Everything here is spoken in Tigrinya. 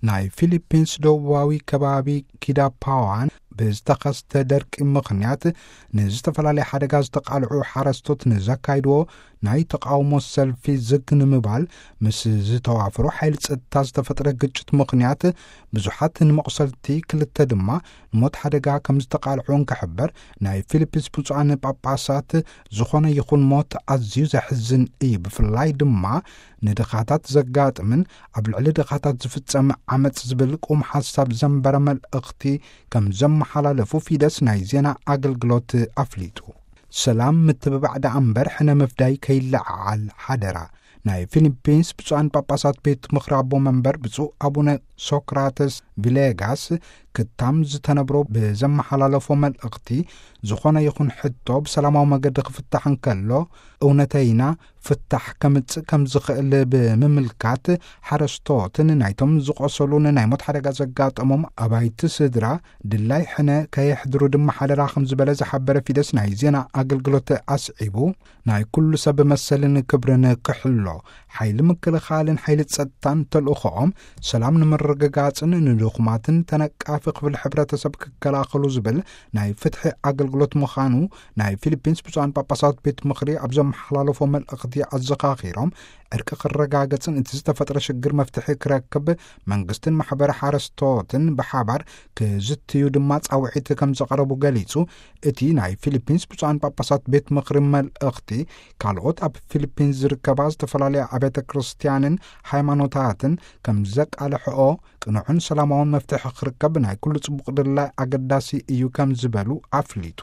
ናይ ፊሊፒንስ ደቡባዊ ከባቢ ኪዳፓዋን ብዝተኸስተ ደርቂ ምኽንያት ንዝተፈላለየ ሓደጋ ዝተቓልዑ ሓረስቶት ንዘካይድዎ ናይ ተቓውሞ ሰልፊ ዝግ ንምባል ምስ ዝተዋፈሩ ሓይሊ ጸጥታ ዝተፈጥረ ግጭት ምኽንያት ብዙሓት ንመቑሰልቲ፣ ክልተ ድማ ንሞት ሓደጋ ከም ዝተቓልዑ እንክሕበር፣ ናይ ፊሊፒንስ ብፁዓን ጳጳሳት ዝኾነ ይኹን ሞት ኣዝዩ ዘሕዝን እዩ፣ ብፍላይ ድማ ንድኻታት ዘጋጥምን ኣብ ልዕሊ ድኻታት ዝፍጸም ዓመጽ ዝብል ቁም ሓሳብ ዘንበረ መልእኽቲ ከም ዘመሓላለፉ ፊደስ ናይ ዜና ኣገልግሎት ኣፍሊጡ። ሰላም ምትብባዕ ደኣ እምበር ሕነ ምፍዳይ ከይለዓዓል ሓደራ። ናይ ፊሊፒንስ ብፁዓን ጳጳሳት ቤት ምኽሪ ኣቦ መንበር ብፁዕ ኣቡነ ሶክራተስ ቪሌጋስ ክታም ዝተነብሮ ብዘመሓላለፎ መልእኽቲ፣ ዝኾነ ይኹን ሕቶ ብሰላማዊ መገዲ ክፍታሕ እንከሎ፣ እውነተይና ፍታሕ ከምጽእ ከም ዝኽእል ብምምልካት፣ ሓረስቶትን ናይቶም ዝቆሰሉን ናይ ሞት ሓደጋ ዘጋጠሞም ኣባይቲ ስድራ ድላይ ሕነ ከየሕድሩ ድማ ሓደራ ከም ዝበለ ዝሓበረ ፊደስ ናይ ዜና ኣገልግሎት ኣስዒቡ፣ ናይ ኩሉ ሰብ መሰልን ክብርን ክሕሎ፣ ሓይሊ ምክልኻልን ሓይሊ ጸጥታን ተልእኾኦም ሰላም ንምርግጋጽን ንድኹማትን ተነቃፊ ክፍሊ ሕብረተሰብ ክከላኸሉ ዝብል ናይ ፍትሒ ኣገልግሎት ምዃኑ ናይ ፊሊፒንስ ብፁዓን ጳጳሳት ቤት ምኽሪ ኣብ ዘመሓላለፎ መልእኽቲ ኣዘኻኺሮም፣ ዕርቂ ክረጋገጽን እቲ ዝተፈጥረ ሽግር መፍትሒ ክረክብ መንግስትን ማሕበረ ሓረስቶትን ብሓባር ክዝትዩ ድማ ጻውዒት ከም ዘቐረቡ ገሊጹ። እቲ ናይ ፊሊፒንስ ብፁዓን ጳጳሳት ቤት ምኽሪ መልእኽቲ፣ ካልኦት ኣብ ፊሊፒንስ ዝርከባ ዝተፈላለያ ኣብያተ ክርስትያንን ሃይማኖታትን ከም ዘቃልሕኦ፣ ቅኑዕን ሰላማውን መፍትሒ ክርከብ ናይ ኩሉ ጽቡቕ ድላይ ኣገዳሲ እዩ ከም ዝበሉ ኣፍሊጡ።